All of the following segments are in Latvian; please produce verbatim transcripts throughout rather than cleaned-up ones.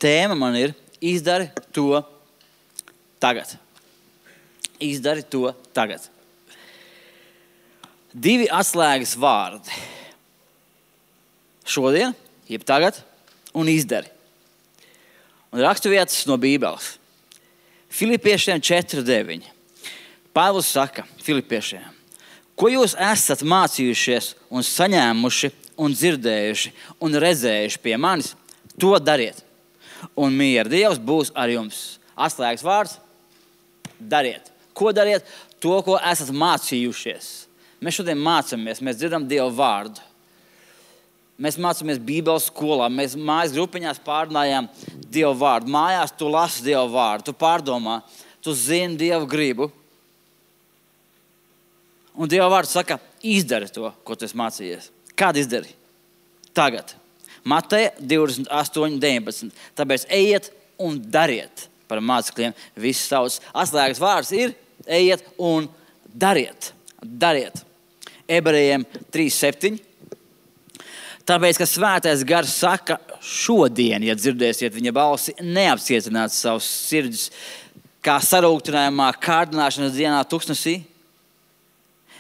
tēma man ir izdari to tagad. Izdari to tagad. Divi atslēgas vārdi. Šodien, jeb tagad, un izdari. Un raksturvietas no Bībeles. Filipiešiem četri deviņi. Pāvils saka Filipiešiem, ko jūs esat mācījušies un saņēmuši un dzirdējuši un redzējuši pie manis, to dariet. Un miera Dievs būs ar jums. Atslēgas vārds – dariet. Ko dariet? To, ko esat mācījušies. Mēs šodien mācāmies, mēs dzirdam Dievu vārdu. Mēs mācāmies Bībeles skolā, mēs mājas grupiņās pārnājām Dievu vārdu. Mājās tu lasi Dievu vārdu, tu pārdomā, tu zini Dievu gribu. Un Dieva vārds saka, izdari to, ko tu esi mācījies. Kādu izdari? Tagad. Mateja divdesmit astoņi deviņpadsmit. Tāpēc ejiet un dariet par mācekļiem visas tautas. Atslēgas vārds ir ejiet un dariet. Dariet. Ebrejiem trīs septiņi. Tāpēc, ka svētais gars saka šodien, ja dzirdēsiet viņa balsi, neapcietināt savus sirdis, kā sarūktinājumā kārdināšanas dienā tuksnesī,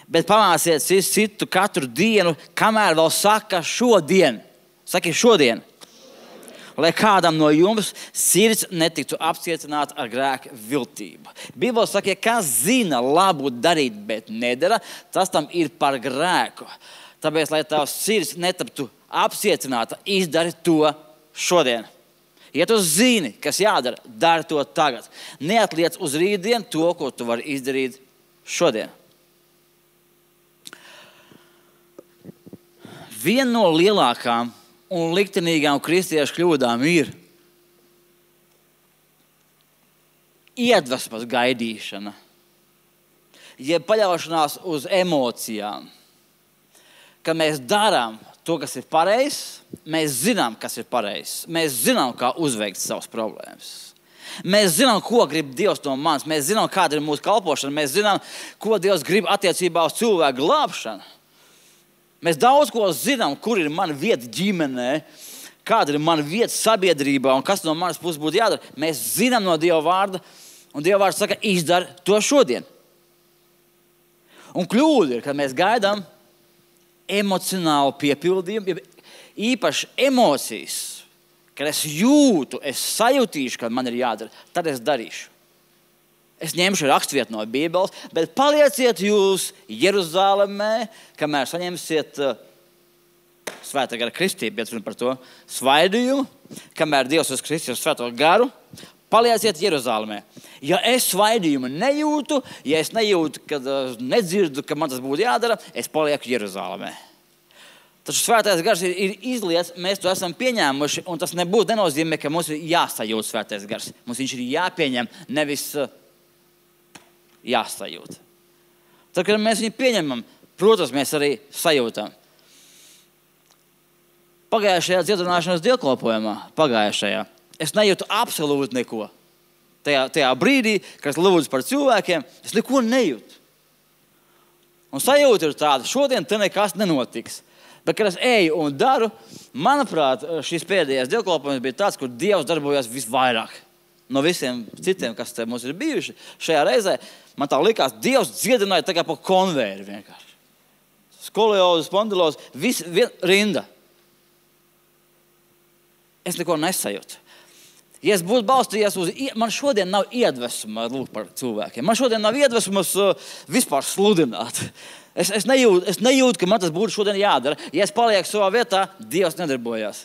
bet pamāciet citu katru dienu, kamēr vēl saka šodien. Saki šodien. Lai kādam no jums sirds netiktu apcietināta ar grēka viltību. Bībele saka, ja kas zina labu darīt, bet nedara, tas tam ir par grēku. Tāpēc, lai tavs sirds netaptu apcietināta, izdari to šodien. Ja tu zini, kas jādara, dari to tagad. Neatliec uz rītdienu to, ko tu vari izdarīt šodien. Viena no lielākām un liktenīgām kristiešu kļūdām ir iedvesmas gaidīšana, jeb paļaušanās uz emocijām. Kad mēs darām to, kas ir pareizs, mēs zinām, kas ir pareizs. Mēs zinām, kā uzveikt savas problēmas. Mēs zinām, ko grib Dievs no manis. Mēs zinām, kāda ir mūsu kalpošana. Mēs zinām, ko Dievs grib attiecībā uz cilvēku glābšanu. Mēs daudz ko zinām, kur ir mana vieta ģimenē, kāda ir mana vieta sabiedrībā un kas no manas puses būtu jādara. Mēs zinām no Dieva vārda, un Dieva vārds saka, izdari to šodien. Un kļūda ir, kad mēs gaidām emocionālu piepildījumu, īpaši emocijas, kad es jūtu, es sajutīšu, kad man ir jādara, tad es darīšu. Es ņemšu raksturvietu no Bībeles, bet palieciet jūs Jeruzalemē, kamēr saņemsiet uh, svētā gara kristību, bet par to svaidījumu, kamēr Dievs uz Kristus svēto garu, palieciet Jeruzalemē. Ja es svaidījumu nejūtu, ja es nejūtu, kad uh, nedzirdu, ka man tas būtu jādara, es palieku Jeruzalemē. Taču svētais gars ir, ir izliets, mēs to esam pieņēmuši, un tas nebūtu nenozīmē, ka mums ir jāsajūt svētais gars. Mums viņš ir jāpieņem, nevis uh, jāsajūt. Tad, kad mēs viņu pieņemam, protams, mēs arī sajūtam. Pagājušajā dziedināšanas dievkalpojumā, pagājušajā, es nejūtu absolūti neko. Tajā, tajā brīdī, kad es lūdzu par cilvēkiem, es neko nejūtu. Un sajūta ir tāda, šodien te nekas nenotiks. Bet, kad es eju un daru, manuprāt, šis pēdējais dievkalpojums bija tāds, kur Dievs darbojas visvairāk. No visiem citiem, kas te mums ir bijuši šajā reizē, man tā likās, Dievs dziedināja tā kā pa konveiri vienkārši. Skoliozes, spondilozes, viss vien, rinda. Es neko nesajūtu. Ja es būtu balstījies uz, man šodien nav iedvesma lūk par cilvēkiem. Man šodien nav iedvesmas uh, vispār sludināt. Es, es, nejūtu, es nejūtu, ka man tas būtu šodien jādara. Ja es palieku savā vietā, Dievs nedarbojās.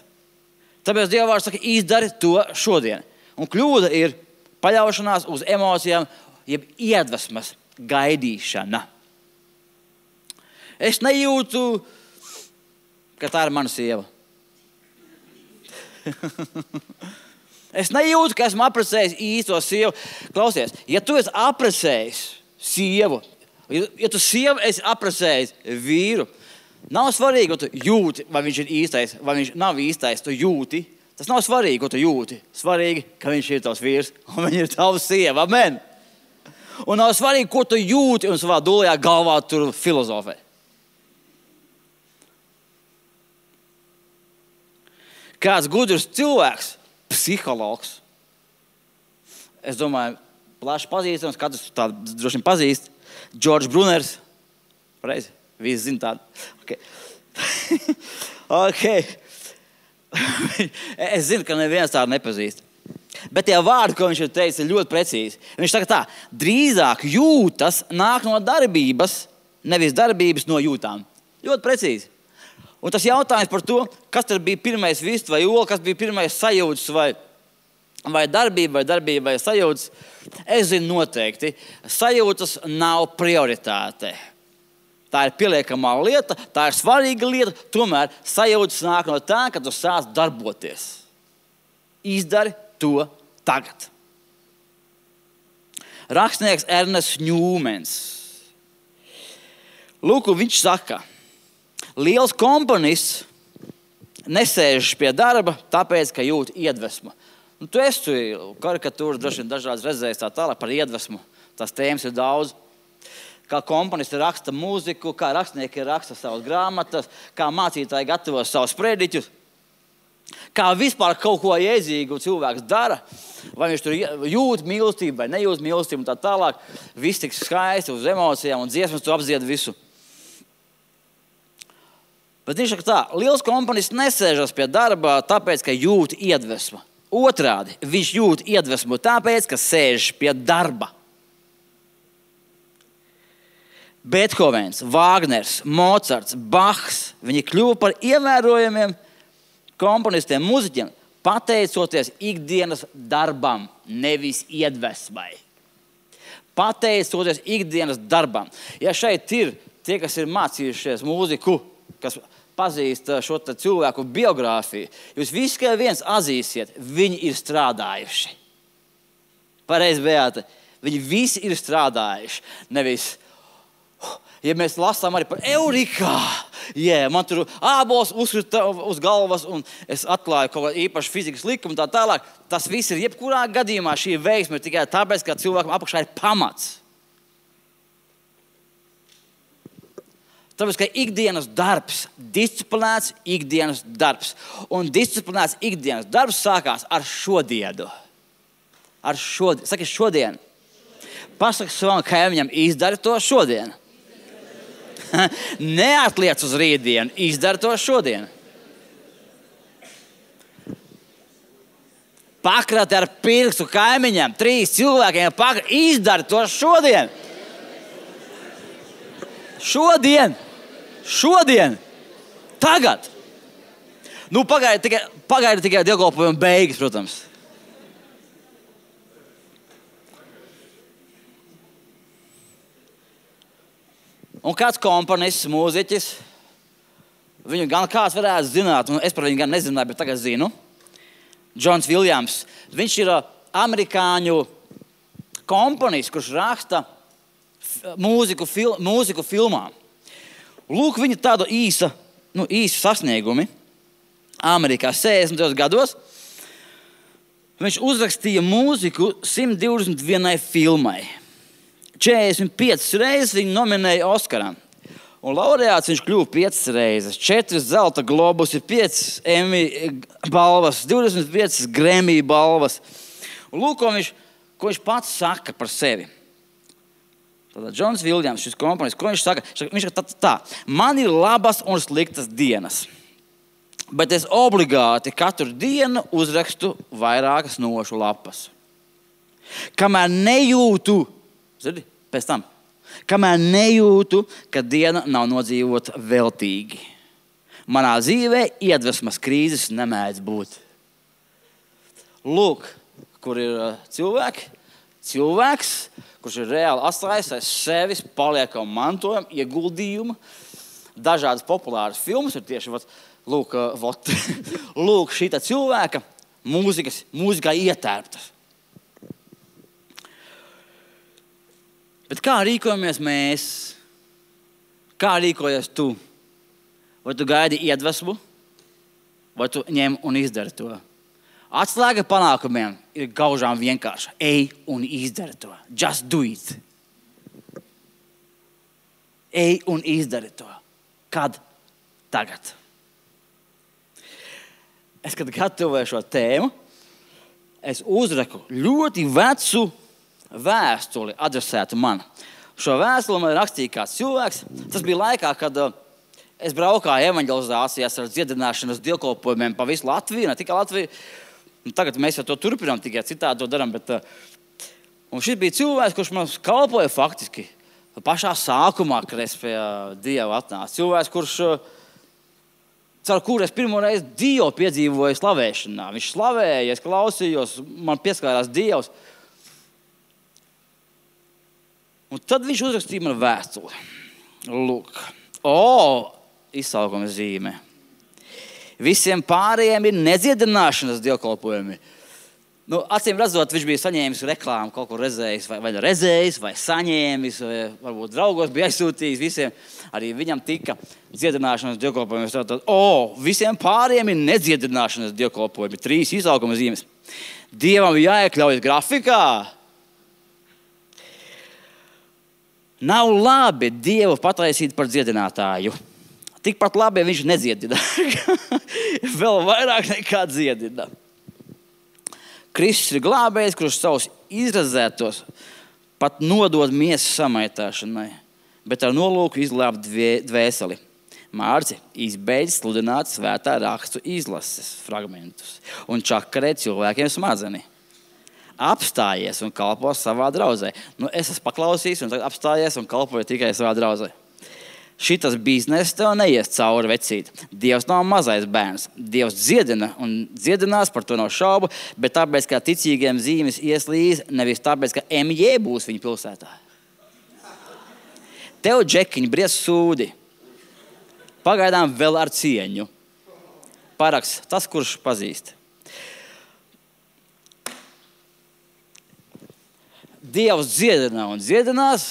Tāpēc Dieva vārds saka, izdari to šodien. Un kļūda ir paļaušanās uz emocijām, jeb iedvesmas gaidīšana. Es nejūtu, ka tā ir mana sieva. Es nejūtu, ka esmu apprecējis īsto sievu. Klausies, ja tu esi apprecējis sievu, ja tu sievu esi apprecējis vīru, nav svarīgi, ko tu jūti, vai viņš ir īstais, vai viņš nav īstais, tu jūti. Tas nav svarīgi, ko tu jūti. Svarīgi, ka viņš ir tavs vīrs un viņa ir tavs sieva. Amen. Un nav svarīgi, ko tu jūti un savā dūlajā galvā tur filozofē. Kāds gudrs cilvēks, psihologs. Es domāju, plaši pazīstams, katrs tādu droši vien pazīst. Džordžs Bruners. Pareizi? Visi zina tādu. Okay. okay. Es zinu, ka neviens tādu nepazīst. Bet tie vārdi, ko viņš ir teicis, ir ļoti precīzi. Viņš saka tā, drīzāk jūtas nāk no darbības, nevis darbības no jūtām. Ļoti precīzi. Un tas jautājums par to, kas tad bija pirmais vists vai ola, kas bija pirmais sajūtas vai, vai darbība vai darbība vai sajūtas, es zinu noteikti. Sajūtas nav prioritāte. Tā ir pieliekamā lieta, tā ir svarīga lieta, tomēr sajūtas nāk no tā, ka tu sāc darboties. Izdari to tagad. Rakstnieks Ernests Ņūmens. Lūk, viņš saka, liels komponists nesēžas pie darba, tāpēc, ka jūt iedvesmu. Nu, tu esi karikatūras droši vien dažādas redzējis tā tālāk par iedvesmu. Tās tēmas ir daudz. Kā komponisti raksta mūziku, kā rakstnieki raksta savas grāmatas, kā mācītāji gatavo savus sprediķus, kā vispār kaut ko jēdzīgu cilvēks dara, vai viņš tur jūt mīlestību vai nejūt mīlestību un tā tālāk. Viss tik skaisti uz emocijām un dziesmas tu apdzied visu. Bet viņš saka tā, liels komponists nesēžas pie darba tāpēc, ka jūt iedvesmu. Otrādi, viņš jūt iedvesmu tāpēc, ka sēž pie darba. Beethovens, Vāgners, Mocarts, Bachs, viņi kļuva par ievērojamiem komponistiem, muziķiem, pateicoties ikdienas darbam, nevis iedvesmai. Pateicoties ikdienas darbam. Ja šeit ir tie, kas ir mācījušies mūziku, kas pazīst šo cilvēku biogrāfiju, jūs visi kā viens atzīsiet, viņi ir strādājuši. Pareizi, Beāte, viņi visi ir strādājuši. Nevis, ja mēs lasām arī par Eurikā, yeah, man tur ābols uzkrita uz galvas un es atklāju kaut kādu īpašu fizikas likumu un tā tālāk, tas viss ir jebkurā gadījumā šī veiksme tikai tāpēc, ka cilvēkam apakšā ir pamats. Tāpēc, ka ikdienas darbs, disciplinēts ikdienas darbs. Un disciplinēts ikdienas darbs sākās ar šodienu. Ar šodien. Saki šodien. Pasaki savam kaimiņam, izdari to šodien. Neatliec uz rītdienu, izdari to šodien. Pakrati ar pirkstu kaimiņam, trīs cilvēkiem, pakrati, izdari to šodien. Šodien. Šodien, tagad. Nu, pagaidi tikai, pagaidi tikai dievkalpojuma beigas, protams. Un kāds komponists, mūziķis, viņu gan kāds varētu zināt, un es par viņu gan nezināju, bet tagad zinu. Džons Viljams. Viņš ir amerikāņu komponists, kurš raksta mūziku, fil, mūziku filmām. Lūk, viņa tāda īsa, nu, īsa sasniegumi Amerikā sešdesmitajos gados. Viņš uzrakstīja mūziku simt divdesmit vienai filmai. četrdesmit piecas reizes viņu nominēja Oskaram. Un laureāts viņš kļuva piecas reizes. četras zelta globusi, piecas Emmy balvas, divdesmit piecas Grammy balvas. Un lūk, ko viņš, ko viņš pats saka par sevi. Tātad Džons Viljams, šis komponists, ko viņš saka? Viņš saka tā, tā, man ir labas un sliktas dienas, bet es obligāti katru dienu uzrakstu vairākas nošu lapas. Kamēr nejūtu, zini, pēc tam, kamēr nejūtu, ka diena nav nodzīvota veltīgi. Manā dzīvē iedvesmas krīzes nemēdz būt. Lūk, kur ir cilvēki, cilvēks, kurš ir reāli atstājis aiz sevis paliekamu mantojumu, ieguldījumu. Dažādas populāras filmas ir tieši vat, lūk, vat, lūk šīta cilvēka mūzikas, mūzikā ietērptas. Bet kā rīkojamies mēs? Kā rīkojies tu? Vai tu gaidi iedvesmu? Vai tu ņem un izdari to? Atslēga panākumiem ir gaužām vienkārša. Ej un izdari to. Just do it. Ej un izdari to. Kad? Tagad. Es, kad gatavoju šo tēmu, es uzraku ļoti vecu vēstuli adresētu man. Šo vēstuli man rakstīja kāds cilvēks. Tas bija laikā, kad uh, es braukāju evanģelizācijās ar dziedināšanas dievkalpojumiem pa visu Latviju, ne tikai Latviju. Un tagad mēs jau to turpinām, tikai citādi to darām. Bet, uh, un šis bija cilvēks, kurš man kalpoja faktiski pašā sākumā, kad es pie uh, Dieva atnācu. Cilvēks, kurš, uh, caur kuru es pirmo reizi Dievu piedzīvoju slavēšanā. Viņš slavēja, es klausījos, man pieskārās Dievs. Un tad viņš uzrakstīja man vēstuli. Lūk, o, izsaukuma zīme. Visiem pārējiem ir nedziedināšanas dievkalpojumi. Nu, acīm redzot, viņš bija saņēmis reklāmu, kaut kur redzējis, vai, vai redzējis, vai saņēmis, vai varbūt draugos bija aizsūtījis visiem. Arī viņam tika dziedināšanas dievkalpojumi. Tātad, o, visiem pārējiem ir nedziedināšanas dievkalpojumi. Trīs izsaukuma zīmes. Dievam jāiekļaujas grafikā. Nav labi Dievu pataisīt par dziedinātāju. Tikpat labi viņš nedziedina. Vēl vairāk nekā dziedina. Kristus ir glābējs, kurš savus izrazētos pat nodod miesas samaitāšanai, bet ar nolūku izglābt dvēseli. Mārci izbeidz sludināt svētā rakstu izlases fragmentus un čakarē cilvēkiem smadzeni. Apstājies un kalpo savā draudzē. Nu, es esmu paklausījis un apstājies un kalpoju tikai savā draudzē. Šitas bizness tev neies cauri, vecīt. Dievs nav mazais bērns. Dievs dziedina un dziedinās, par to nav šaubu, bet tāpēc, ka ticīgiem zīmes ieslīz, nevis tāpēc, ka M J būs viņa pilsētā. Tev, džekiņi, bries sūdi. Pagaidām vēl ar cieņu. Paraks tas, kurš pazīst. Dievs dziedina un dziedinās,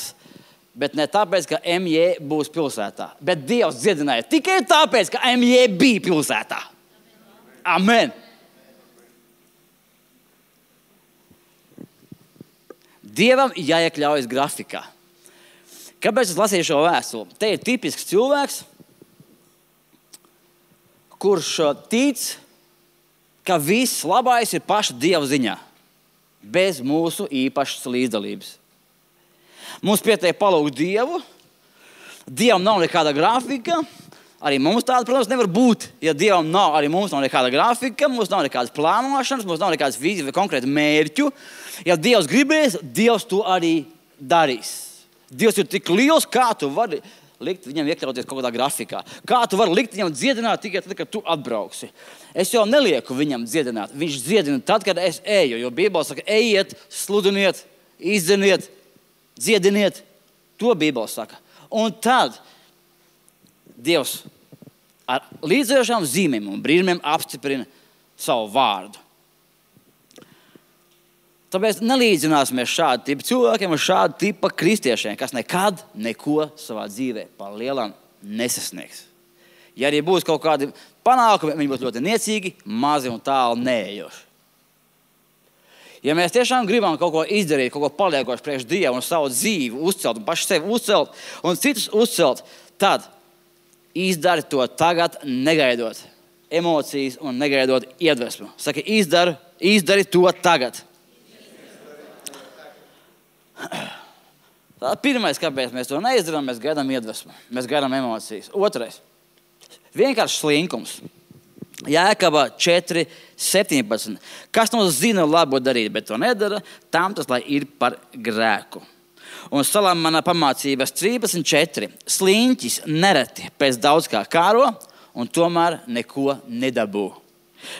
bet ne tāpēc, ka M J būs pilsētā. Bet Dievs dziedināja tikai tāpēc, ka M J bija pilsētā. Amen. Dievam jāiekļaujas grafikā. Kāpēc es lasīju šo vēstuli? Te ir tipisks cilvēks, kurš tic, ka viss labais ir paša Dieva ziņā. Bez mūsu īpašas līdzdalības. Mums pietiek palūgt Dievu. Dievam nav nekāda grafika. Arī mums tāda, protams, nevar būt. Ja Dievam nav, arī mums nav nekāda grafika, mums nav nekādas plānošanas, mums nav nekādas vīzijas vai konkrēta mērķu. Ja Dievs gribēs, Dievs to arī darīs. Dievs ir tik liels, kā tu vari likt viņam iekļauties kaut kādā grafikā. Kā tu vari likt viņam dziedināt tikai tad, kad tu atbrauksi. Es jau nelieku viņam dziedināt. Viņš dziedina tad, kad es eju. Jo Bībele saka, ejiet, sludiniet, izdzeniet, dziediniet. To Bībele saka. Un tad Dievs ar līdzējošām zīmēm un brīnumiem apstiprina savu vārdu. Tāpēc nelīdzināsimies šādu tipu cilvēkiem un šādu tipu kristiešiem, kas nekad neko savā dzīvē par lielam nesasniegs. Ja arī būs kaut kādi panākumi, viņi būs ļoti niecīgi, mazi un tālu neejoši. Ja mēs tiešām gribam kaut ko izdarīt, kaut ko paliekoši priekš Dievu un savu dzīvi uzcelt un paši sevi uzcelt un citus uzcelt, tad izdari to tagad, negaidot emocijas un negaidot iedvesmu. Saka, izdari, izdari to tagad. Tā pirmais, kāpēc mēs to neizdarām, mēs gaidām iedvesmu, mēs gaidām emocijas. Otrais, vienkārši slinkums. Jēkabā četri septiņpadsmit. Kas no zina labo darīt, bet to nedara, tam tas, lai ir par grēku. Un Salamana pamācības trīsdesmit četri. Sliņķis nereti pēc daudz kā kāro un tomēr neko nedabū.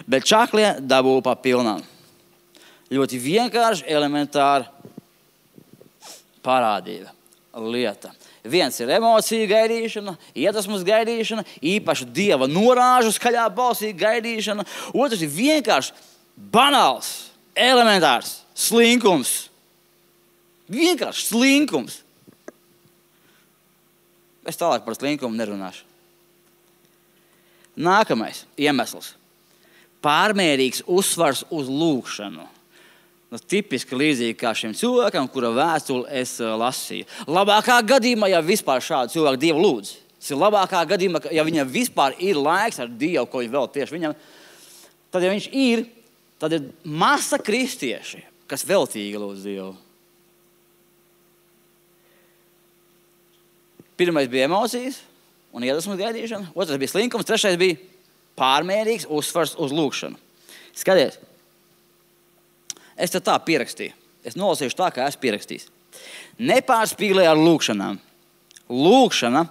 Bet čaklie dabū pa pilnām. Ļoti vienkārši, elementāri parādība, lieta. Viens ir emocija gaidīšana, iedvesmas gaidīšana, īpaši Dieva norāžu skaļā balsī gaidīšana. Otrs ir vienkārši banāls, elementārs slinkums. Vienkārši slinkums. Es tālāk par slinkumu nerunāšu. Nākamais iemesls. Pārmērīgs uzsvars uz lūgšanu. Tas tipiski līdzīgi kā šim cilvēkam, kura vēstuli es uh, lasīju. Labākā gadījumā, ja vispār šādu cilvēku Dievu lūdz, tas ir labākā gadījumā, ja viņam vispār ir laiks ar Dievu, ko viņš vēl tieši viņam, tad, ja viņš ir, tad ir masa kristieši, kas veltīgi lūdz Dievu. Pirmais bija emocijas un iedvesmas gaidīšana, otrais bija slinkums, trešais bija pārmērīgs uzsvars uz lūgšanu. Skaties, es te tā pierakstīju. Es nolasīšu tā, kā esmu pierakstījis. Nepārspīlē ar lūgšanām. Lūgšana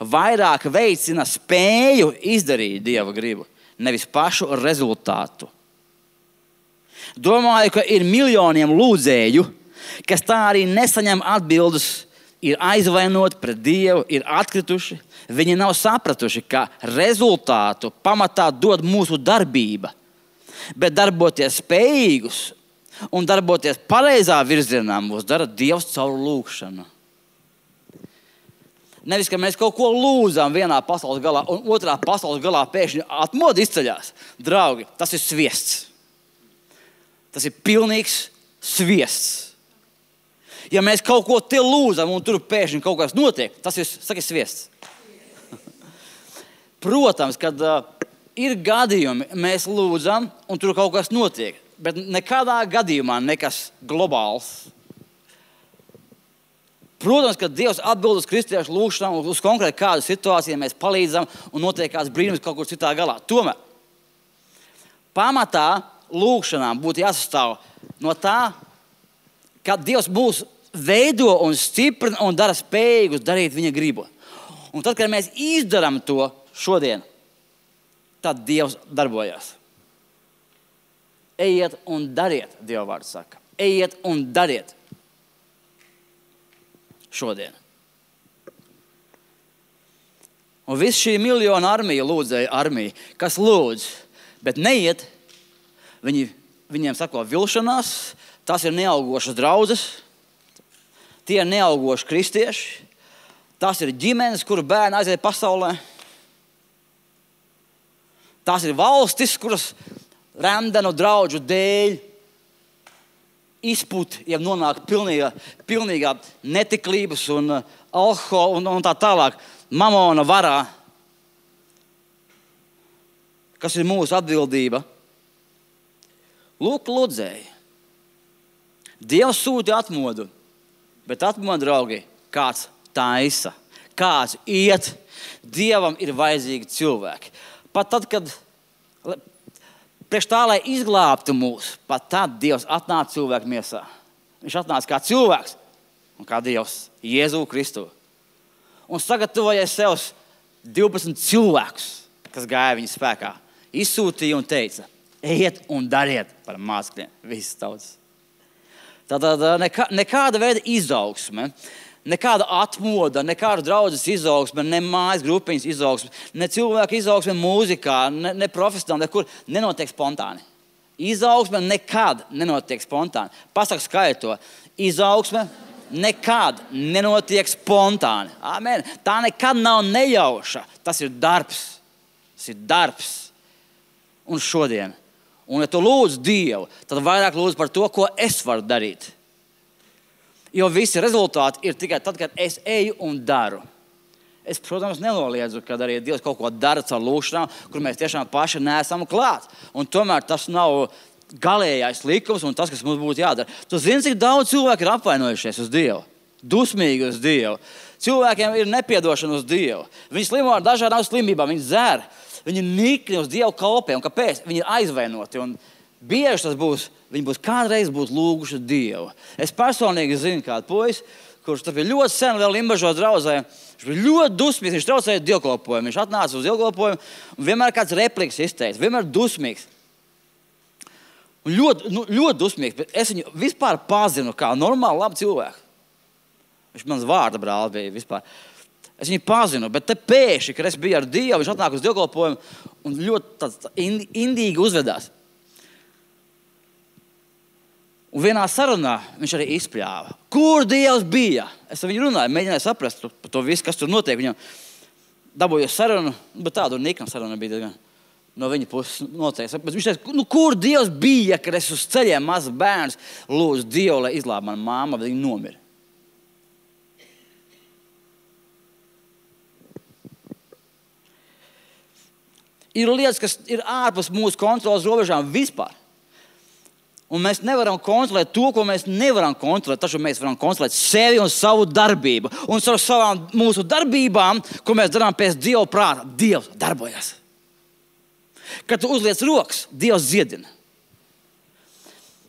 vairāk veicina spēju izdarīt Dieva gribu, nevis pašu rezultātu. Domāju, ka ir miljoniem lūdzēju, kas tā arī nesaņem atbildes, ir aizvainoti pret Dievu, ir atkrituši. Viņi nav sapratuši, ka rezultātu pamatā dod mūsu darbība, bet darboties spējīgus un darboties pareizā virzienā mūs dara Dievs caur lūgšanu. Nevis, ka mēs kaut ko lūdzam vienā pasaules galā un otrā pasaules galā pēkšņi atmoda izceļās. Draugi, tas ir sviests. Tas ir pilnīgs sviests. Ja mēs kaut ko te lūdzam un tur pēkšņi kaut kas notiek, tas ir, saka, sviests. Protams, kad uh, ir gadījumi, mēs lūdzam un tur kaut kas notiek, bet nekādā gadījumā nekas globāls. Protams, ka Dievs atbild uz kristiešu lūgšanām, uz konkrēti kādu situāciju, mēs palīdzam un notiek kāds brīnums kaut kur citā galā. Tomēr pamatā lūgšanām būtu jāsastāv no tā, ka Dievs mūs veido un stiprina un dara spējīgus darīt viņa gribu. Un tad, kad mēs izdarām to šodien, tad Dievs darbojas. Ejiet un dariet, Dieva vārds saka. Ejiet un dariet. Šodien. Un viss šī miljona armija, lūdzēja armija, kas lūdz, bet neiet, viņi, viņiem sako vilšanās, tas ir neaugošas draudzes, tie ir neaugoši kristieši, tas ir ģimenes, kuru bērni aiziet pasaulē, tas ir valstis, kuras rendenu draudžu dēļ izput, ja nonāk pilnīgā, pilnīgā netiklības un uh, alkohola un, un tā tālāk mamona varā, kas ir mūsu atbildība. Lūk, lūdzēji. Dievs sūta atmodu, bet atmodu, draugi, kāds taisa, kāds iet. Dievam ir vajadzīgi cilvēki. Pat tad, kad priekš tā, lai izglābtu mūs, pat tad Dievs atnāca cilvēku miesā. Viņš atnāca kā cilvēks un kā Dievs, Jēzu Kristu. Un sagatavoja sev divpadsmit cilvēkus, kas gāja viņa spēkā. Izsūtīja un teica, ejiet un dariet par mācekļiem visas tautas. Tātad nekā, nekāda veida izaugsme, nekāda atmoda, nekāda draudzes izaugsme, ne mājas grupiņas izaugsme, ne cilvēka izaugsme mūzikā, ne, ne profesionāli, nekur nenotiek spontāni. Izaugsme nekad nenotiek spontāni. Pasaka skaidri to. Izaugsme nekad nenotiek spontāni. Amen. Tā nekad nav nejauša. Tas ir darbs. Tas ir darbs. Un šodien. Un ja tu lūdz Dievu, tad vairāk lūdz par to, ko es varu darīt. Jo visi rezultāti ir tikai tad, kad es eju un daru. Es, protams, nenoliedzu, kad arī Dievs kaut ko dara caur lūgšanām, kur mēs tiešām paši neesam klāt. Un tomēr tas nav galējais likums un tas, kas mums būtu jādara. Tu zini, cik daudz cilvēku ir apvainojušies uz Dievu, dusmīgi uz Dievu. Cilvēkiem ir nepiedošana uz Dievu. Viņi slimo ar dažādām slimībām, viņi dzer, viņi nikni uz Dievu kalpē. Un kāpēc? Viņi ir aizvainoti. Un bieži tas būs, viņi būs kādreiz būs lūguši Dievu. Es personīgi zinu kādu puisi, kurš bija ļoti sen vēl Limbažos draudzē. Viņš bija ļoti dusmīgs, viņš traucēja dievkalpojumu. Viņš atnāca uz dievkalpojumu un vienmēr kāds repliks izteica, vienmēr dusmīgs. Un ļoti, nu, ļoti dusmīgs, bet es viņu vispār pazinu kā normālu labu cilvēku. Viņš mans vārda brālis bija vispār. Es viņu pazinu, bet te pēkšņi, kad es biju ar Dievu, viņš atnāk uz dievkalpojumu un ļoti tāds indīgi uzvedās. Un vienā sarunā viņš arī izpļāva. Kur Dievs bija? Es ar viņu runāju, mēģināju saprast par to visu, kas tur notiek. Viņam dabūju sarunu, bet tādu nikna saruna bija diezgan no viņa puses noteikti. Bet viņš teica, nu, kur Dievs bija, kad es uz ceļiem mazs bērns lūdzu Dievu, lai izglābtu manu māmu, bet viņa nomira. Ir lietas, kas ir ārpus mūsu kontrolas robežām vispār. Un mēs nevaram kontrolēt to, ko mēs nevaram kontrolēt. Taču mēs varam kontrolēt sevi un savu darbību. Un ar savām mūsu darbībām, ko mēs darām pēc Dieva prāta, Dievs darbojas. Kad tu uzliec rokas, Dievs dziedina.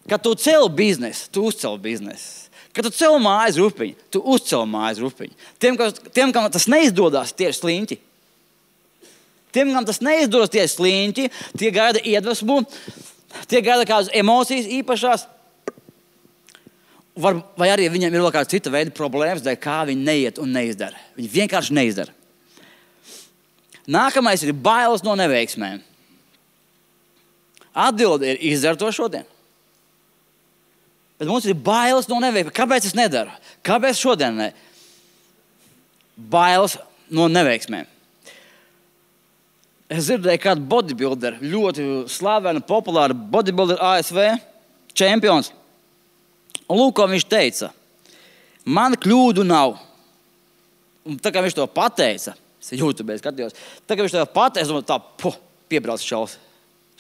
Kad tu cel biznesu, tu uzcel biznesu. Kad tu cel mājas rupiņu, tu uzcel mājas rupiņu. Tiem, kas, tiem, kam tas neizdodas, tie ir sliņķi. Tiem, kam tas neizdodas, tie ir sliņķi, tie gaida iedvesmu, tie gaida kādas emocijas īpašās. Var, vai arī viņiem ir vēl kāda cita veida problēmas, dēļ kā viņi neiet un neizdara. Viņi vienkārši neizdara. Nākamais ir bailes no neveiksmēm. Atbilde ir izdara to šodien. Bet mums ir bailes no neveiksmēm. Kāpēc es nedaru? Kāpēc šodien ne? Bailes no neveiksmēm. Es dzirdēju kādu bodybuilderu, ļoti slavenu, populāru bodybuilderu A S V čempions. Un lūk, ko viņš teica. Man kļūdu nav. Un tā kā viņš to pateica, es YouTube skatījos, tā kā viņš to pateica, un tā, puh, piebrauc šaus.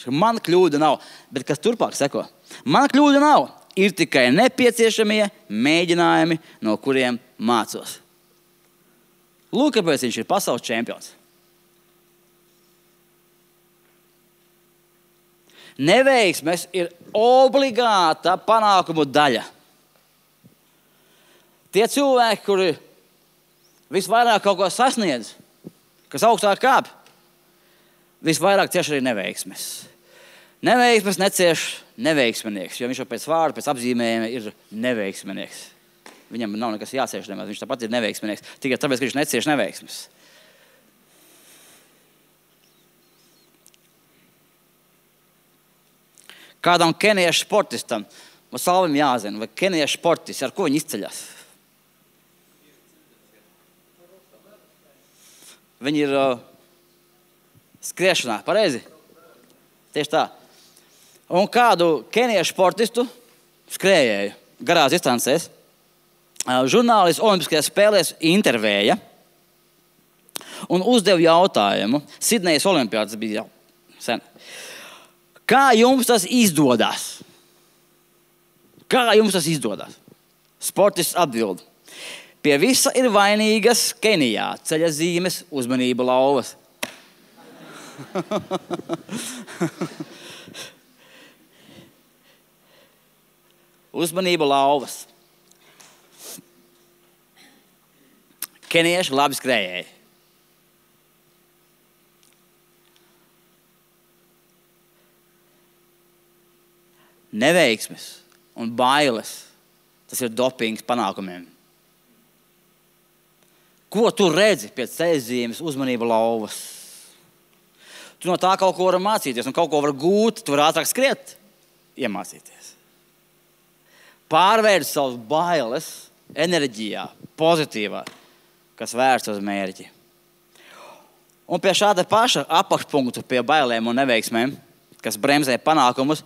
Man kļūda nav. Bet kas turpāk seko? Man kļūda nav. Ir tikai nepieciešamie mēģinājumi, no kuriem mācos. Lūk, kāpēc viņš ir pasaules čempions. Neveiksmes ir obligāta panākumu daļa. Tie cilvēki, kuri visvairāk kaut ko sasniedz, kas augstāk kāp, visvairāk cieši arī neveiksmes. Neveiksmes necieš neveiksmenieks, jo viņš jau pēc vārda, pēc apzīmējuma ir neveiksmenieks. Viņam nav nekas jācieš nemaz, viņš tāpat ir neveiksmenieks, tikai tāpēc, ka viņš necieš neveiksmes. Kādam keniešu sportistam, vai Salvim jāzina, vai keniešu sportists, ar ko viņi izceļas? Viņi ir uh, skriešanā, pareizi? Tieši tā. Un kādu keniešu sportistu skrējēju garās distancēs, uh, žurnālists Olimpiskajās spēlēs intervēja un uzdeva jautājumu. Sidnejas olimpiādas bija jau sen. Kā jums tas izdodas? Kā jums tas izdodas? Sportists atbild. Pie visa ir vainīgas Kenijā ceļa zīmes, uzmanība lauvas. Uzmanība lauvas. Kenieši labi skrējēji. Neveiksmes un bailes, tas ir dopings panākumiem. Ko tu redzi pēc ceļzīmes, uzmanība lauvas? Tu no tā kaut ko var mācīties un kaut ko var gūt, tu var ātrāk skriet, iemācīties. Pārvērst savus bailes enerģijā, pozitīvā, kas vērsts uz mērķi. Un pie šāda paša apakšpunktu, pie bailēm un neveiksmēm, kas bremzē panākumus,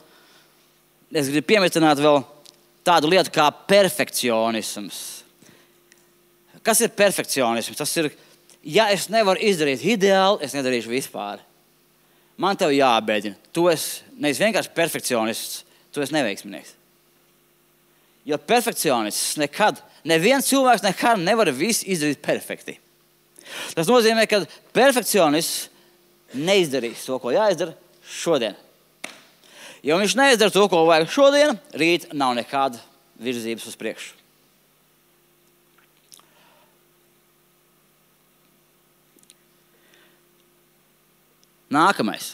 es gribu piemetināt vēl tādu lietu kā perfekcionisms. Kas ir perfekcionisms? Tas ir, ja es nevaru izdarīt ideāli, es nedarīšu vispār. Man tev jābēdina. Tu esi nevis vienkārši perfekcionists, tu esi neveiksminieks. Jo perfekcionists nekad, neviens cilvēks nekad nevar visu izdarīt perfekti. Tas nozīmē, ka perfekcionists neizdarīs to, ko jāizdara šodien. Ja viņš neizdara to, ko vajag šodien, rīt nav nekāda virzības uz priekšu. Nākamais.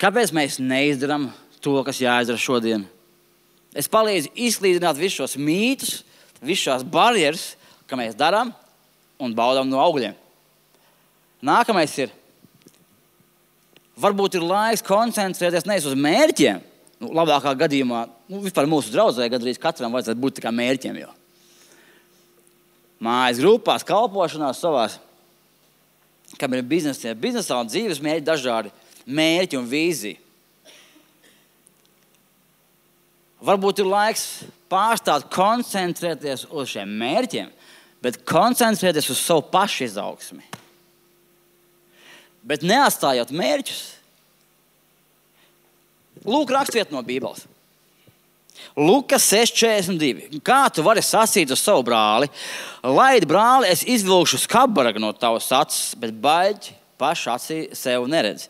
Kāpēc mēs neizdaram to, kas jāizdara šodien? Es palīdzu izslīdināt visus šos mītus, visus šās barjeras, ka mēs darām un baudām no augļiem. Nākamais ir. Varbūt ir laiks koncentrēties nevis uz mērķiem. Nu, labākā gadījumā, nu, vispār mūsu draudzē gadrīz katram vajadzētu būt tikai mērķiem. Jo. Mājas grupās, kalpošanās savās, kam ir biznesā, biznesā un dzīves mērķi dažādi mērķi un vīzija. Varbūt ir laiks pārstāt koncentrēties uz šiem mērķiem, bet koncentrēties uz savu pašu izaugsmi. Bet neatstājot mērķus. Lūk, rakstvieta no Bībeles. Lukas seši četrdesmit divi. Kā tu vari sacīt uz savu brāli? Laid, brāli, es izvilkšu skarbaragu no tavas acis, bet baļķi paši acī sev neredz.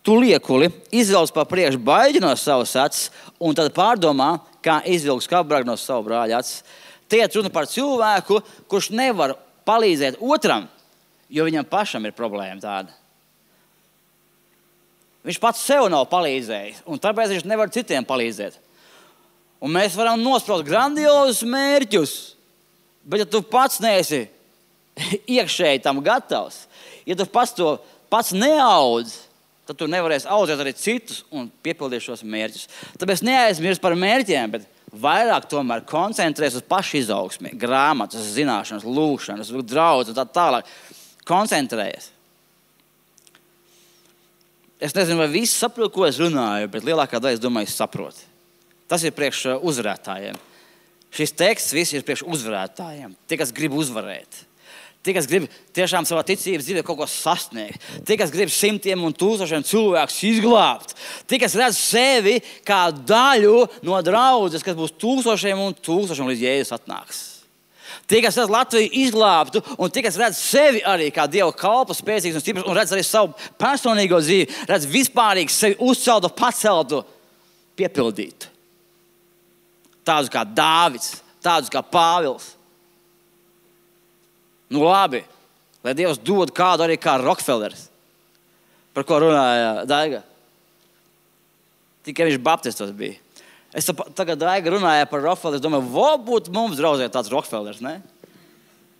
Tu liekuli izvelc pa priekšu baļķi no savas acis un tad pārdomā, kā izvilkt skarbaragu no savu brāļa acis. Te ir runa par cilvēku, kurš nevar palīdzēt otram, jo viņam pašam ir problēma tāda. Viņš pats sev nav palīdzējis, un tāpēc viņš nevar citiem palīdzēt. Un mēs varam nospraust grandiozus mērķus, bet ja tu pats neesi iekšēji tam gatavs, ja tu pats to pats neaudz, tad tu nevarēsi audzēt arī citus un piepildīt šos mērķus. Tāpēc neaizmirst par mērķiem, bet vairāk tomēr koncentrēs uz pašu izaugsmi, grāmatas, zināšanas, lūkšanas, draudz un tā tālāk. Koncentrējies. Es nezinu, vai visi saprot, ko es runāju, bet lielākā daļa, es domāju, saprot. Tas ir priekš uzvarētājiem. Šis teksts viss ir priekš uzvarētājiem. Tie, kas grib uzvarēt. Tie, kas grib tiešām savā ticības dzīvē kaut ko sasniegt. Tie, kas grib simtiem un tūkstošiem cilvēkus izglābt. Tie, kas redz sevi kā daļu no draudzes, kas būs tūkstošiem un tūkstošiem līdz Jēzus atnāks. Tie, kas redz Latviju izglābtu, un tie, kas redz sevi arī kā Dieva kalpu, spēcīgs un stiprs, un redz arī savu personīgo dzīvi, redz vispārīgi sevi uzceltu, paceltu, piepildītu. Tādus kā Dāvids, tādus kā Pāvils. Nu labi, lai Dievs dod kādu arī kā Rokfelers, par ko runāja Daiga. Tikai viņš baptistos bija. Es tagad Daiga runāja par Rokfelers, domāju, vo būtu mums draudzē tāds Rokfelers, ne?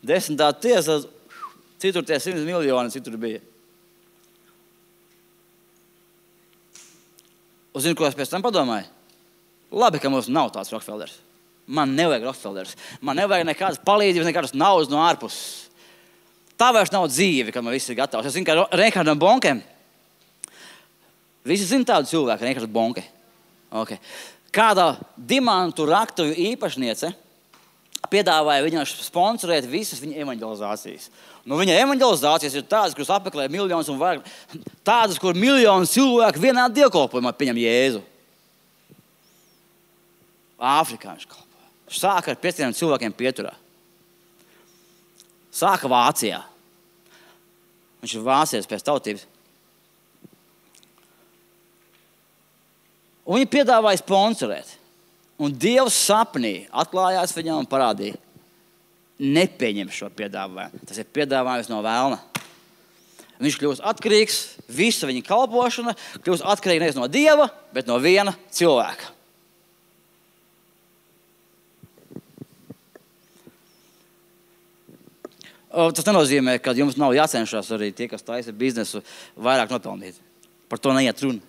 Desmitā tiesa, citur tie simts miljoni, citur bija. Un zinu, ko es pēc tam padomāju? Labi, ka mums nav tāds Rokfelers. Man nevajag Rokfelers. Man nevajag nekādas palīdzības, nekādas naudas no ārpuses. Tā vairs nav dzīve, kad man viss ir gatavs. Es zinu, ka Reinhardam Bonkem, visi zina tādu cilvēku, Reinhards Bonke. Okay. Kāda dimantu raktuju īpašniece piedāvāja viņam sponsorēt visas viņa evanģelizācijas. Nu, viņa evanģelizācijas ir tādas, kuras apmeklē miljonus un vairāk. Tādas, kur miljonu cilvēku vienā dievkalpojumā pieņem Jēzu. Āfrikā viņš kalpoja. Sāka ar pieciem cilvēkiem pieturā. Sāka Vācijā. Viņš ir vācietis pēc tautības. Un viņi piedāvāja sponsorēt. Un Dievs sapnī atklājās viņam un parādīja. Nepieņem šo piedāvājumu. Tas ir piedāvājums no velna. Viņš kļūst atkarīgs, visa viņa kalpošana kļūst atkarīga nevis no Dieva, bet no viena cilvēka. Tas nenozīmē, ka jums nav jācenšas arī tie, kas taisa biznesu, vairāk nopelnīt. Par to neiet runa.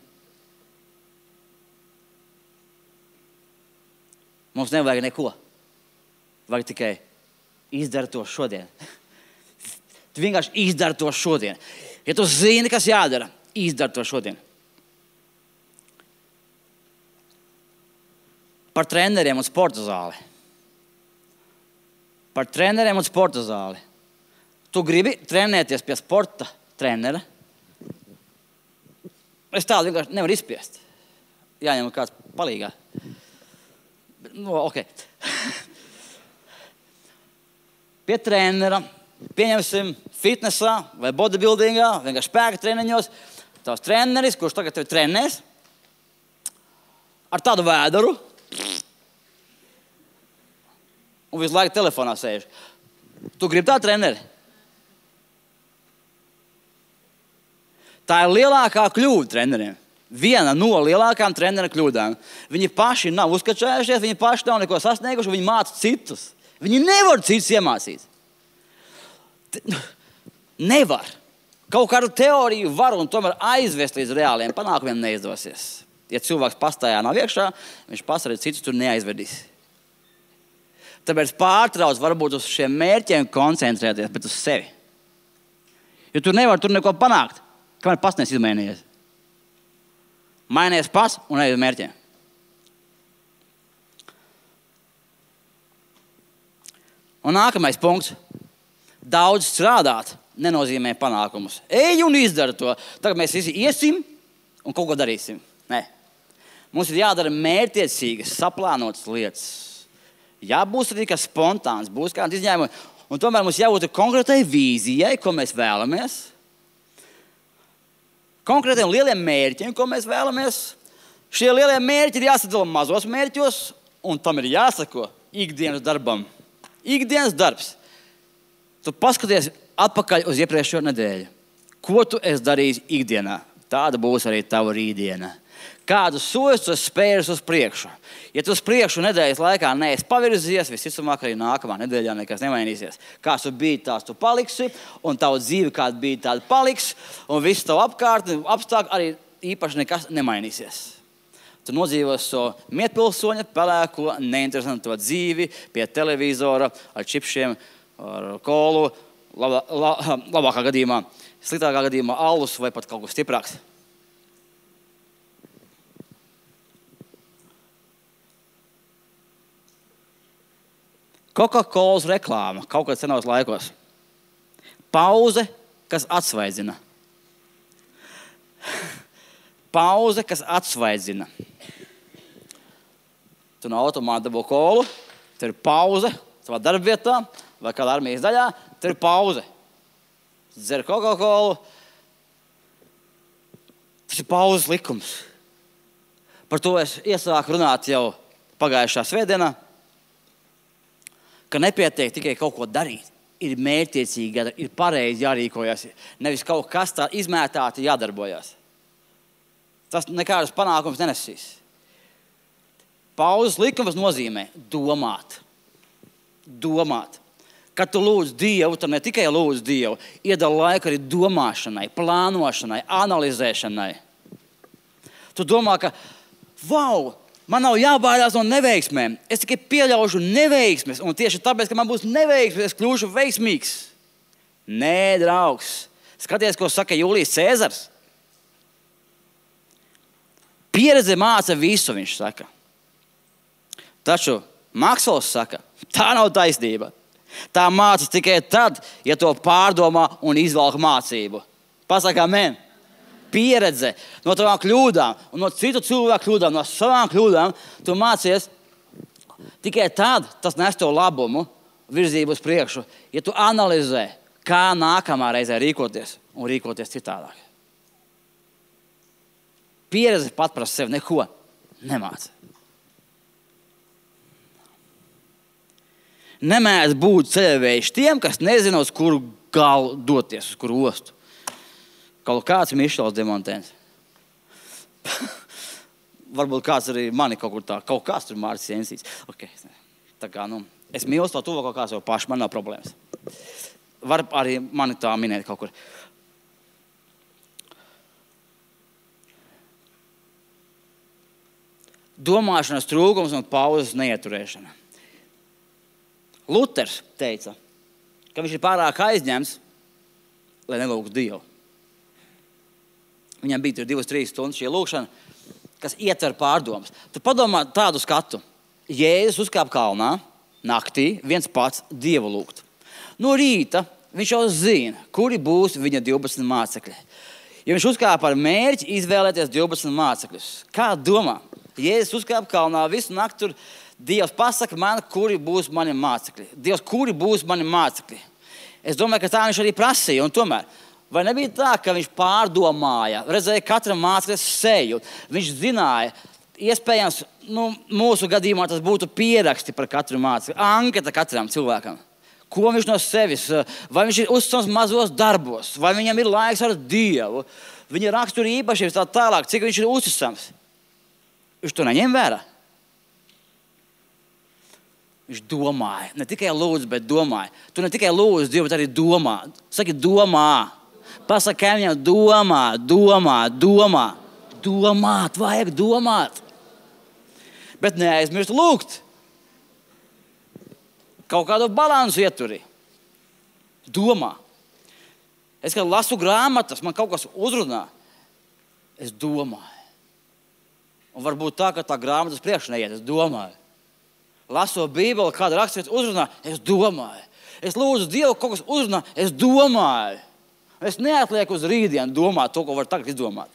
Mums nevajag neko. Vajag tikai izdara to šodien. Tu vienkārši izdara to šodien. Ja tu zini, kas jādara, izdara to šodien. Par treneriem un sporta zāli. Par treneriem un sporta zāli. Tu gribi trenēties pie sporta trenera? Es tādu vienkārši nevaru izspiest. Jāņem kāds palīgā. Nu, ok. Pie trenera, pieņemsim fitnesā vai bodybuildingā, vienkārši spēka treniņos, tavs treneris, kurš tagad tevi trenēs, ar tādu vēdaru, un visu laiku telefonā sēž. Tu gribi tādu treneri? Tā ir lielākā kļūda treneriem. Viena no lielākām trenera kļūdām. Viņi paši nav uzkačējušies, viņi paši nav neko sasnieguši, viņi māca citus. Viņi nevar citus iemācīt. Nevar. Kaut kādu teoriju var un tomēr aizvest līdz reāliem panākumiem neizdosies. Ja cilvēks pastājā nav iekšā, viņš pats arī citus tur neaizvedīs. Tāpēc pārtrauc varbūt uz šiem mērķiem koncentrēties, bet uz sevi. Jo tu nevar tur neko panākt, kamēr pats nes izmainījies. Mainies pats un ej uz mērķiem. Un nākamais punkts. Daudz strādāt nenozīmē panākumus. Ej un izdara to. Tagad mēs visi iesim un kaut ko darīsim. Nē. Mums ir jādara mērķtiecīgas, saplānotas lietas. Jā, būs arī kas spontāns, būs kāds izņēmumi. Un tomēr mums jābūt konkrētai vīzijai, ko mēs vēlamies. Konkrētiem lieliem mērķiem, ko mēs vēlamies. Šie lielie mērķi ir jāsadala mazos mērķos, un tam ir jāsako ikdienas darbam. Ikdienas darbs. Tu paskaties atpakaļ uz iepriekšējo nedēļu. Ko tu esi darījis ikdienā? Tāda būs arī tava rītdiena. Kādus soļus tu esi spēris uz priekšu? Ja tu uz priekšu nedēļas laikā neesi pavirzījies, visticamāk arī nākamā nedēļā nekas nemainīsies. Kāds tu biji, tās tu paliksi, un tava dzīve kāda bija, tāda paliks, un viss tavu apkārt, apstākļi arī īpaši nekas nemainīsies. Tu nodzīvos so mietpilsoņa, pelēko, neinteresanto dzīvi pie televizora, ar čipšiem, ar kolu, labā, la, labākā gadījumā, sliktākā gadījumā alus vai pat kaut kas stiprāks. Coca-Colas reklāma kaut kad senos laikos. Pauze, kas atsvaidzina. Pauze, kas atsvaidzina. Tu no automāta dabū kolu, tur ir pauze savā darbvietā vai kādā armijas daļā, tur ir pauze. Dzer Coca-Colu. Tas ir pauzes likums. Par to es iesāku runāt jau pagājušā svētdienā, ka nepietiek tikai kaut ko darīt. Ir mērķtiecīgi, ir pareizi jārīkojas. Nevis kaut kas tā izmētāti jādarbojas. Tas nekādas panākums nenesīs. Pauzes likums nozīmē domāt. Domāt. Kad tu lūdz Dievu, tad ne tikai lūdz Dievu, iedala laiku arī domāšanai, plānošanai, analizēšanai. Tu domā, ka, vau, man nav jābaidās no neveiksmēm. Es tikai pieļaušu neveiksmes, un tieši tāpēc, ka man būs neveiksmes, es kļūšu veiksmīgs. Nē, draugs. Skaties, ko saka Jūlijs Cēzars. Pieredze māca visu, viņš saka. Taču Maksvels saka, tā nav taisnība. Tā māca tikai tad, ja to pārdomā un izvelk mācību. Pasaka amen. Pieredze no tavām kļūdām un no citu cilvēku kļūdām, no savām kļūdām, tu mācies tikai tad, tas nes tev labumu, virzību uz priekšu, ja tu analizē, kā nākamā reizē rīkoties un rīkoties citādāk. Pieredze pat par sevi neko nemāca. Nemēdz būt ceļavējuši tiem, kas nezina, uz kuru galu doties, uz kuru ostu. Kaut kāds Mišels Demontēns. Varbūt kāds arī mani kaut kur tā, kaut kāds tur Mārcis Jensīts. Okay. Tā kā, nu, es mīlu to tuvo kaut kā sev paši, man nav problēmas. Var arī mani tā minēt kaut kur. Domāšanas trūkums un pauzes neieturēšana. Luters teica, ka viņš ir pārāk aizņemts, lai nelūgtu Dievu. Viņam bija tur divas, trīs stundas šī lūkšana, kas ietver pārdomas. Tu padomā tādu skatu. Jēzus uzkāpa kalnā, naktī, viens pats Dievu lūgt. No rīta viņš jau zina, kuri būs viņa divpadsmit mācekļi. Ja viņš uzkāpa ar mērķi izvēlēties divpadsmit mācekļus. Kā domā? Jēzus uzkāpa kalnā, visu nakti tur Dievs pasaka man, kuri būs mani mācekļi. Dievs, kuri būs mani mācekļi? Es domāju, ka tā viņš arī prasīja. Un tomēr, vai nebija tā, ka viņš pārdomāja, redzēja katram mācekļa seju? Viņš zināja, iespējams, nu, mūsu gadījumā tas būtu pieraksti par katru mācekļu, anketa katram cilvēkam. Ko viņš no sevis, vai viņš ir uzticams mazos darbos, vai viņam ir laiks ar Dievu, viņa rakstura īpašības tā tālāk, cik viņš ir uzticams. Viņš to neņem vērā. Viņš domāja, ne tikai lūdz, bet domāja. Tu ne tikai lūdz Dievu, bet arī domā. Saki, domā. Pasaki kaimiņam, domā, domā, domā. Domāt, vajag domāt. Bet neaizmirst lūgt. Kaut kādu balansu ieturi. Domā. Es, kad lasu grāmatas, man kaut kas uzrunā. Es domāju. Un varbūt tā, ka tā grāmatas priekš neiet, es domāju. Laso Bībeli, kāda raksturīta uzrunā, es domāju. Es lūdzu Dievu, kaut kas uzrunā, es domāju. Es neatlieku uz rītdienu domāt to, ko var tagad izdomāt.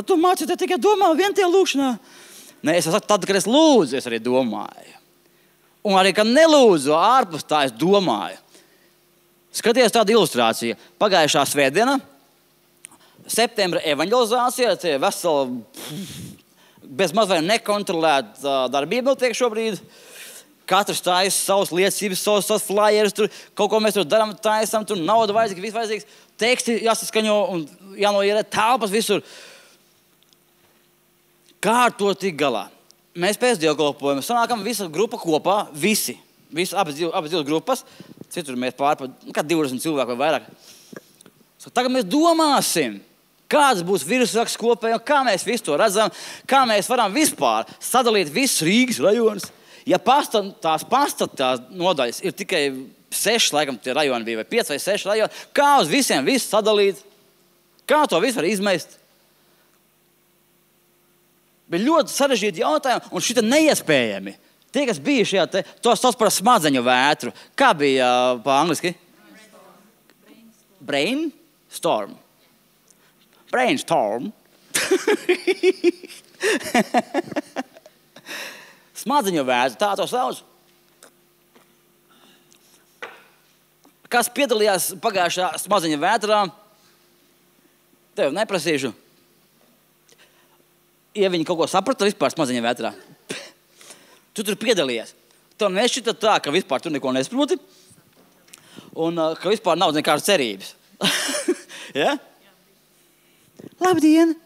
Tad tu mācies tikai domā vien tie lūkšanā. Nē, es saku, tad, kad es lūdzu, es arī domāju. Un arī, kad nelūdzu, ārpus tā es domāju. Skaties tādu ilustrāciju. Pagājušā svētdiena, septembra evanģelizācija, tie veseli, bez mazliet nekontrolēta darbība notiek šobrīd. Katrs taisa savas liecības, savas, savas flyers, tur kaut ko mēs tur darām, taisam, tur nauda vajadzīga, viss vajadzīgs, teksti jāsaskaņo un jānoierē telpas visur. Kā ar to tik galā? Mēs pēc dievkalpojuma sanākam visa grupa kopā, visi, visi abas, abas divas grupas, citur mēs pārpa, kā divdesmit cilvēku vai vairāk. So, tagad mēs domāsim, kāds būs virsraksts kopēji un kā mēs visu to redzam, kā mēs varam vispār sadalīt visus Rīgas rajonus. Ja pasta, tās pasta tās nodaļas ir tikai seši, laikam, tie rajoni bija, vai pieci vai seši rajoni, kā uz visiem visu sadalīt? Kā to visu var izmest? Bija ļoti sarežģīti jautājumi, un šita neiespējami. Tie, kas bija šajā, te, to sauc par smadzeņu vētru. Kā bija uh, pa angliski? Brainstorm. Brainstorm. Smadzeņu vētru, tā to sauc. Kas piedalījās pagājušā smadzeņu vētrā? Tev neprasīšu. Ja viņi kaut ko saprata vispār smadzeņu vētrā, tu tur piedalījies. Tev nešķita tā, ka vispār tu neko nesaproti un uh, ka vispār nav nekādas cerības. Ja? Labdien!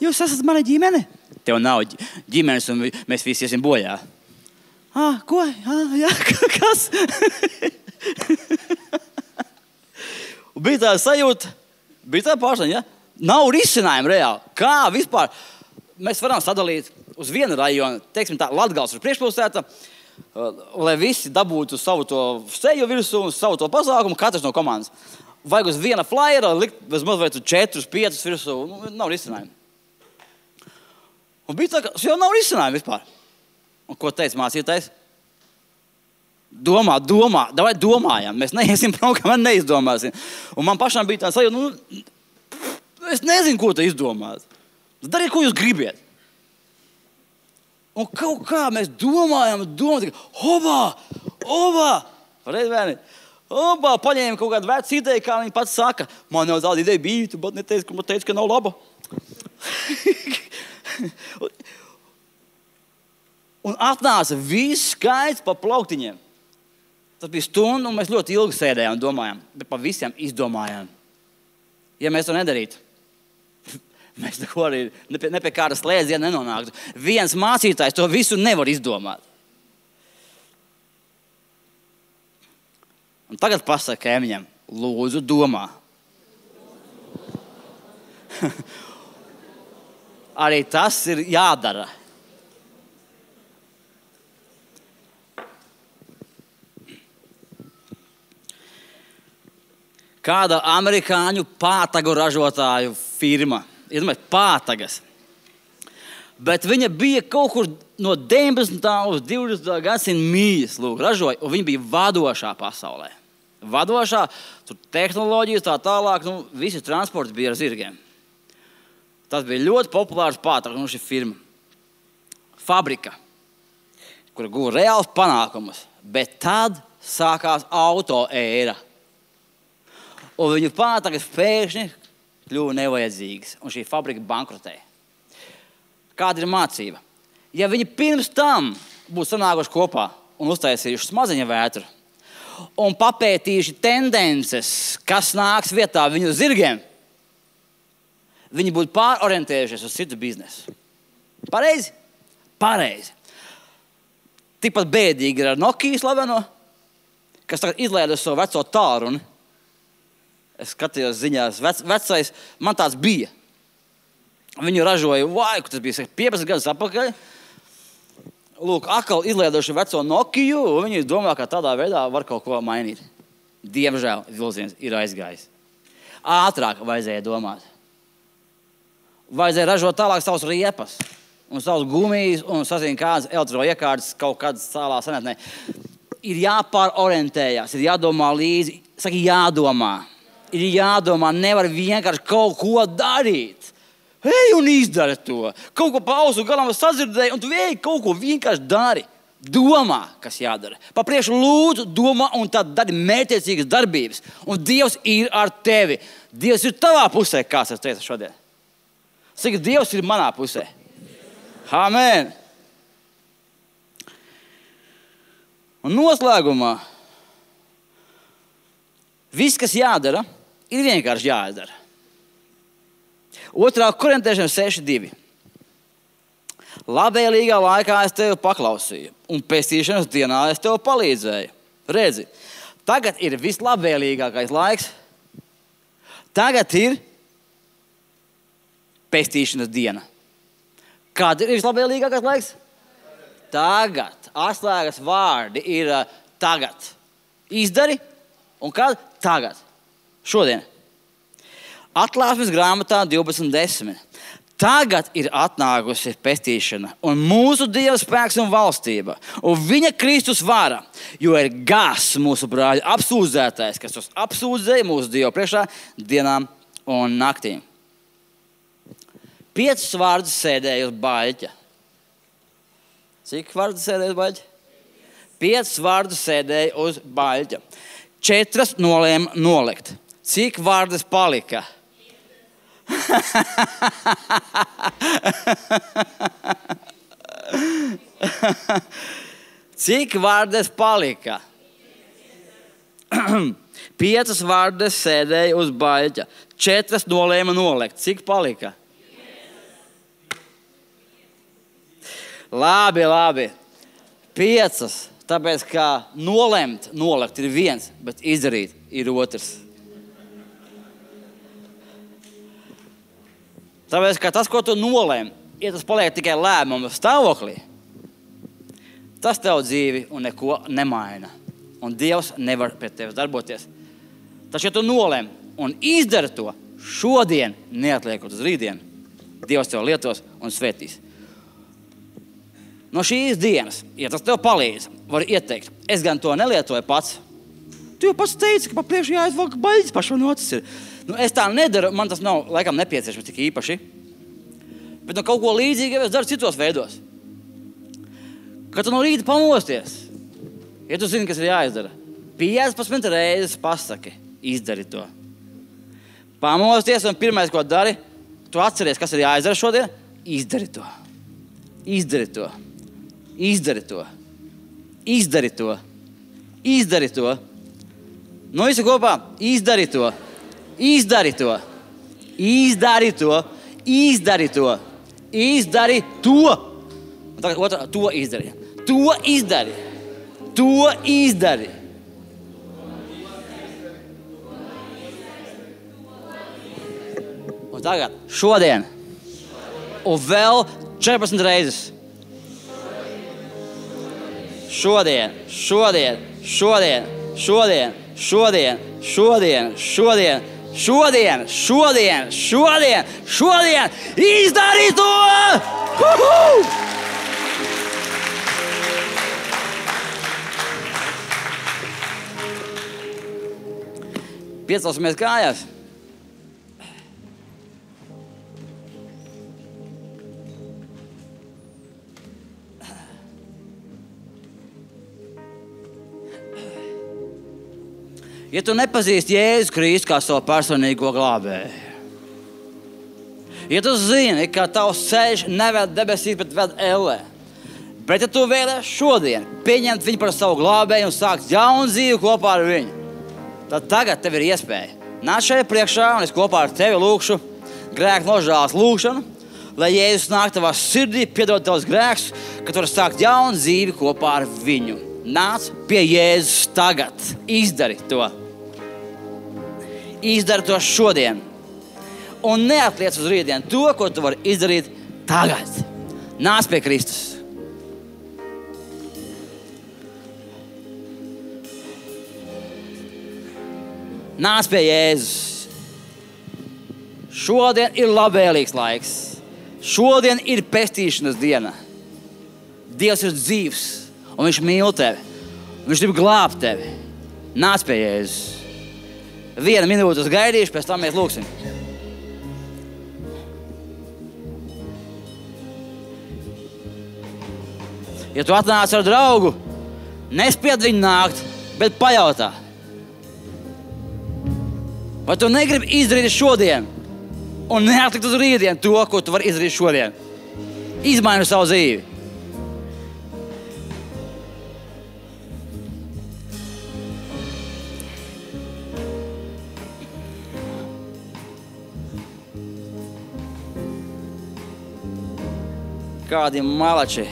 Jūs esat mana ģimene? Tev nav ģimenes un mēs visi iesim bojā. Ah, ko? Ah, jā, kas? Bija tā sajūta, bija tā pārstāņa, ja? Nav risinājumu reāli. Kā vispār mēs varam sadalīt uz vienu rajonu, teiksim tā, Latgals ir priekšpilsēta, lai visi dabūtu savu to seju virsū un savu to pasākumu, katrs no komandas. Vajag uz viena flyera likt vismaz vai tu četrus, piecus virsū, nu, nav risinājumu. Un bija tā, ka jau nav risinājumu vispār. Un ko teica mācītājs? Domā, domā, davai domājam, mēs neiesim prom, kamēr neizdomāsim. Un man pašām bija tā sajūta, nu, es nezinu, ko te izdomāt. Dariet, ko jūs gribiet. Un kaut kā mēs domājam, domājam, hobā, hobā, pareizi vēni, hobā, paņēma kaut kādu vecu ideju, kā viņi pats saka. Man jau tāda ideja bija, tu pat neteici, ka man teica, ka nav laba. Un atnāca viss skaits pa plauktiņiem. Tas bija stunda, un mēs ļoti ilgi sēdējām un domājām, bet pa visiem izdomājām. Ja mēs to nedarītu, mēs neko arī ne pie, ne pie kāda slēdziena nenonāktu. Viens mācītājs to visu nevar izdomāt. Un tagad pasaka kaimiņam, lūdzu domā. Arī tas ir jādara. Kāda amerikāņu pātagu ražotāju firma. Iedomājies, pātagas. Bet viņa bija kaut kur no deviņpadsmitā uz divdesmitā gadsimta mījas, lūk, ražoja, un viņa bija vadošā pasaulē. Vadošā, tur tehnoloģijas tā tālāk, nu, visi transporti bija ar zirgiem. Tas bija ļoti populārs pātags, nu, šī firma. Fabrika, kura guva reāls panākumus, bet tad sākās auto ēra. Un viņu pātagas pēkšņi kļuva nevajadzīgas, un šī fabrika bankrotēja. Kāda ir mācība? Ja viņi pirms tam būtu sanākuši kopā un uztaisījuši smadzeņu vētru un papētījuši tendences, kas nāks vietā viņu zirgiem, viņi būtu pārorientējušies uz citu biznesu. Pareizi? Pareizi. Tikpat bēdīgi ir ar Nokia slaveno, kas tagad izlaida savu veco tālruni. Es skatījos ziņās, vec, vecais, man tāds bija. Viņu ražoja, vai, tas bija piecpadsmit gadus atpakaļ. Lūk, atkal izlaidoši veco Nokiju, un viņi domā, ka tādā veidā var kaut ko mainīt. Diemžēl vilciens ir aizgājis. Ātrāk vajadzēja domāt. Vajadzēja ražot tālāk savus riepas, un savus gumijas, un sazina kādas elektroiekārtas kaut kādas cēlā senatnē. Ir jāpārorientējās, ir jādomā līdzi, saka jādomā. Ir jādomā, nevar vienkārši kaut ko darīt. Ej un izdari to. Kaut ko pa ausu galam sadzirdēji, un tu ej kaut ko vienkārši dari. Domā, kas jādara. Pa priekšu lūdzu, domā, un tad dari mērķiecīgas darbības. Un Dievs ir ar tevi. Dievs ir tavā pusē, kāds es teicu šodien. Saka, Dievs ir manā pusē. Amen. Un noslēgumā viss, kas jādara, ir vienkārši jādara. Otrā Korintiešiem seši divi. Labvēlīgā laikā es tevi paklausīju, un pestīšanas dienā es tev palīdzēju. Redzi, tagad ir vislabvēlīgākais laiks. Tagad ir pestīšanas diena. Kad ir vislabvēlīgākais laiks? Tagad. Atslēgas vārdi ir uh, tagad. Izdari, un kad? Tagad. Šodien. Atklāsmes grāmatā divpadsmit desmit. Tagad ir atnākusi pestīšana, un mūsu Dieva spēks un valstība, un viņa Kristus vara, jo ir gāzs mūsu brāļu apsūdzētais, kas tos apsūdzēja mūsu Dievu priekšā dienām un naktīm. Piecus vārdus sēdēja uz baļķa. Cik vārdus sēdēja uz baļķa? Piecus vārdus sēdēja uz baļķa. Četras nolēma nolikt. Cik vārdus palika? Cik vārdes palika? Piecas vārdes sēdēja uz baļķa. Četras nolēma nolikt. Cik palika? Labi, labi. Piecas. Tāpēc, kā nolemt, nolikt ir viens, bet izdarīt ir otrs. Tāpēc, ka tas, ko tu nolēmi, ja tas paliek tikai lēmuma stāvoklī, tas tev dzīvi un neko nemaina. Un Dievs nevar pret tevi darboties. Taču, ja tu nolēmi un izdari to šodien, neatliekot uz rītdienu, Dievs tev lietos un svētīs. No šīs dienas, ja tas tev palīdz, var ieteikt, es gan to nelietoju pats. Tu jau pats teici, ka pa priekšu jāizvalk baļķis pašu un otrs ir. Nu, es tā nedaru, man tas nav laikam nepieciešams tik īpaši. Bet nu, kaut ko līdzīgu es daru citos veidos. Kad tu no rīta pamosties, ja tu zini, kas ir jāizdara, piecpadsmit reizes pasaki, izdari to. Pamosties un pirmais, ko dari, tu atceries, kas ir jāizdara šodien, izdari to. Izdari to. Izdari to. Izdari to. Izdari to. Nu, visi kopā, izdari to. Izdari to. Izdari to. Izdari to. Izdari to. Un tagad otrā, to izdari. To izdari. To izdari. Un tagad, šodien. Un vēl četrpadsmit reizes. Šodien, šodien, šodien, šodien, šodien, šodien, šodien, šodien, šodien, šodien, šodien, izdari to! Uhu! Piecelsimies kājās. Ja tu nepazīsti Jēzu Kristu kā savu personīgo glābēju, ja tu zini, ka tavs ceļš neved debesīs, bet ved ellē, bet ja tu vēlies šodien pieņemt viņu par savu glābēju un sākt jaunu dzīvi kopā ar viņu, tad tagad tev ir iespēja. Nāc šeit priekšā un es kopā ar tevi lūkšu grēku nožēlas lūkšanu, lai Jēzus nāk tavā sirdī, piedod tavus grēkus, ka tu vari sākt jaunu dzīvi kopā ar viņu. Nāc pie Jēzus tagad. Izdari to. Izdari to šodien. Un neatliec uz rītdienu to, ko tu vari izdarīt tagad. Nāc pie Kristus. Nāc pie Jēzus. Šodien ir labvēlīgs laiks. Šodien ir pestīšanas diena. Dievs ir dzīvs. Un viņš mīl tevi. Viņš grib glābt tevi. Nāc pie Jēzus. Vienu minūti uz gaidīšu, pēc tam mēs lūksim. Ja tu atnāc ar draugu, nespied viņu nākt, bet pajautā. Vai tu negribi izdarīt šodien un neatlikt uz rītdien to, ko tu vari izdarīt šodien? Izmaini savu dzīvi. Kādi malači.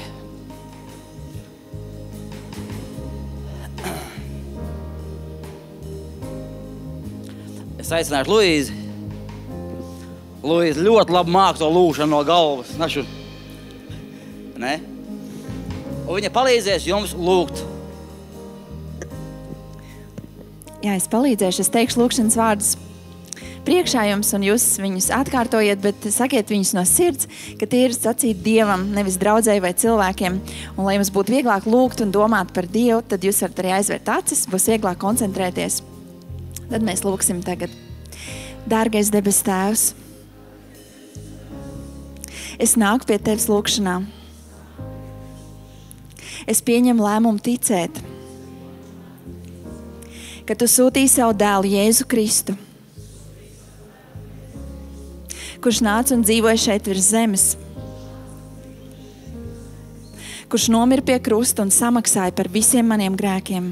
Es aicināšu Luīzi. Luīzi ļoti labi māk to lūšanu no galvas. Našu. Ne? Un viņa palīdzēs jums lūgt. Jā, es palīdzēšu. Es teikšu lūkšanas vārdus priekšā jums, un jūs viņus atkārtojiet, bet sakiet viņus no sirds, ka tie ir sacīt Dievam, nevis draudzēji vai cilvēkiem. Un, lai jums būtu vieglāk lūgt un domāt par Dievu, tad jūs varat arī aizvērt acis, būs vieglāk koncentrēties. Tad mēs lūksim tagad. Dārgais debes Tēvs, es nāku pie Tevis lūkšanā. Es pieņemu lēmumu ticēt, ka Tu sūtīji savu dēlu Jēzu Kristu, kurš nāca un dzīvoja šeit virs zemes, kurš nomira pie krusta un samaksāja par visiem maniem grēkiem,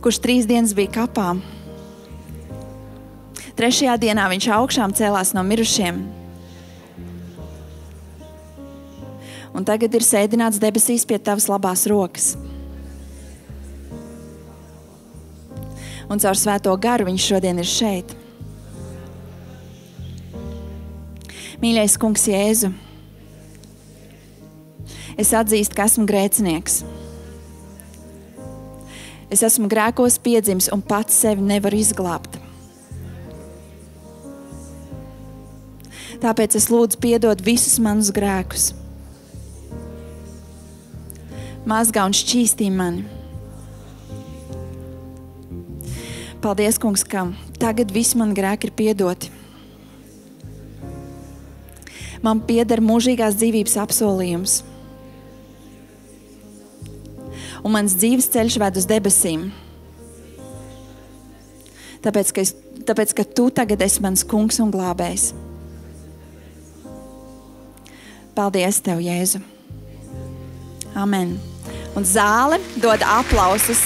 kurš trīs dienas bija kapā. Trešajā dienā viņš augšām cēlās no mirušiem un tagad ir sēdināts debesīs pie Tavas labās rokas. Un caur svēto garu viņš šodien ir šeit. Mīļais kungs Jēzu, es atzīstu, ka esmu grēcinieks. Es esmu grēkos piedzimis un pats sevi nevaru izglābt. Tāpēc es lūdzu piedot visus manus grēkus. Mazgā un šķīstī mani. Paldies, kungs, ka tagad visi mani grēki ir piedoti. Man pieder mūžīgās dzīvības apsolījums. Un mans dzīves ceļš ved uz debesīm. Tāpēc, ka, es, tāpēc, ka Tu tagad esi mans kungs un glābējs. Paldies Tev, Jēzu. Amen. Un zāle dod aplausus